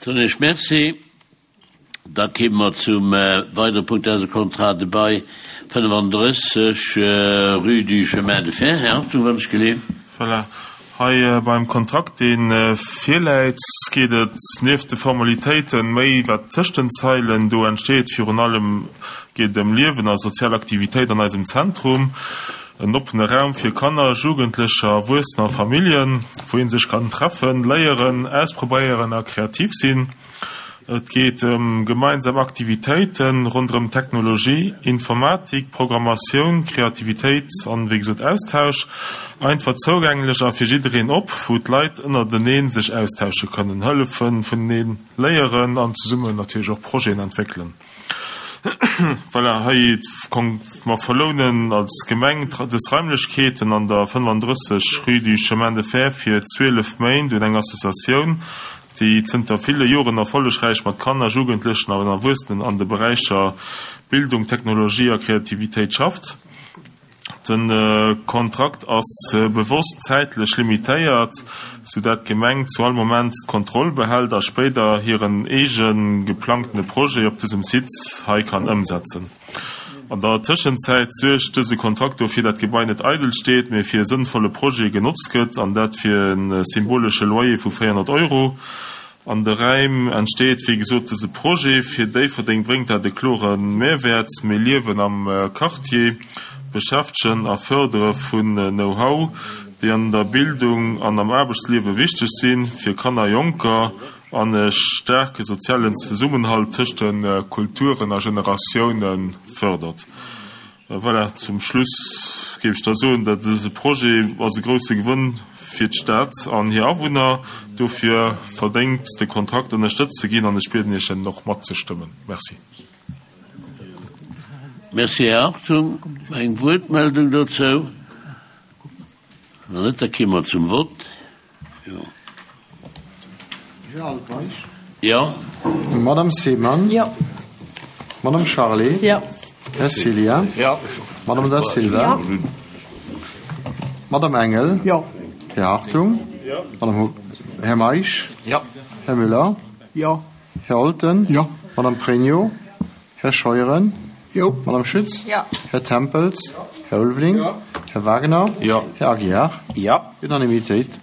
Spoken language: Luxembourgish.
Soen ech Merci. Da kéime mer zum weidere Punkt, dat ass e Contrat de bail 35, rue du Chemin de Fer. Här Hartung, wann ech geleeft. Voilà. Hei beim Kontrakt, dee virläit, geet et nieft de Formalitéiten méi wat tëscht den Zeilen do entsteet. Virun allem geet et ëm Liewen a sozial Aktivitéit an eisem Zentrum. En oppene Raum fir Kanner, Jugendlecher, Erwuessener a Familljen, wou ee sech kann treffen, léieren, ausprobéieren a kreativ sinn. Et geet ëm gemeinsam Aktivitéite ronderëm Technologie, Informatik, Programmatioun, Kreativitéit an, wéi gesot, Austausch. Einfach zougänglech a fir jiddereen op, wou d'Leit ënnerteneen sech austausche kënnen, hëllefen, vuneneen léieren an zesummen natierlech och Projeten entwéckelen. Voilà, hei, mer verlounen als Gemeng dës Raimlechkeeten an der 35 rue du Chemin de Fer fir 12 Méint un eng Associatioun, déi zënter ville Joren erfollegräich mat Kanner, Jugendlechen an Erwuessenen an de Beräicher Bildung, Technologie a Kreativitéit schafft. De Kontrakt ass bewosst zäitlech limitéiert, sou dat d'Gemeng zu all Moment d'Kontroll behält a spéider hiren eege geplangtene Projet op dësem Site hei kann ëmsetzen. An der Tëschenzäit suergt dëse Kontrakt dofir, dat d'Gebai net eidel steet, mee fir e sënnvolle Projet genotzt gëtt, an dat fir e symbolesche Loyer vu 400 Euro. An de Räim entsteet, wéi gesot, dëse Projet. Fir Déifferdeng bréngt dat e klore Mehrwäert, méi Liewen am Quartier, Beschäftegen a Fërdere vun Know-how, déi an der Bildung an am Aarbechtsliewe wichteg sinn, fir Kanner a Jonker, an e staarke sozialen Zesummenhalt tëscht de Kulturen a Generatioune fërdert. Voilà, zum Schluss géif ech da soen, dat dëse Projet ass e grousse Gewënn fir d'Stad an hir Awunner. Dofir verdéngt de Kontrakt ënnerstëtzt ze ginn an ech bieden Iech en och matzestëmmen. Merci. Merci, Här Hartung. Eng Wuertmeldung dozou? Wann net, da kéime mer zum Vott. Jo. Här Altmeisch. Jo. Madame Seemann. Jo. Madame Charlé. Jo. Här Cillien. Jo. Madame Da Silva. Jo. Madame Engel. Jo. Här Hartung. Jo. Madame Här Meisch. Jo. Här Müller. Jo. Här Olten. Jo. Madame Pregno. Här Scheuren. Jo. Madame Schütz. Jo. Här Tempels. Här Ulveling. Jo. Här Wagner. Jo. Här Aguiar. Jo. Unanimitéit.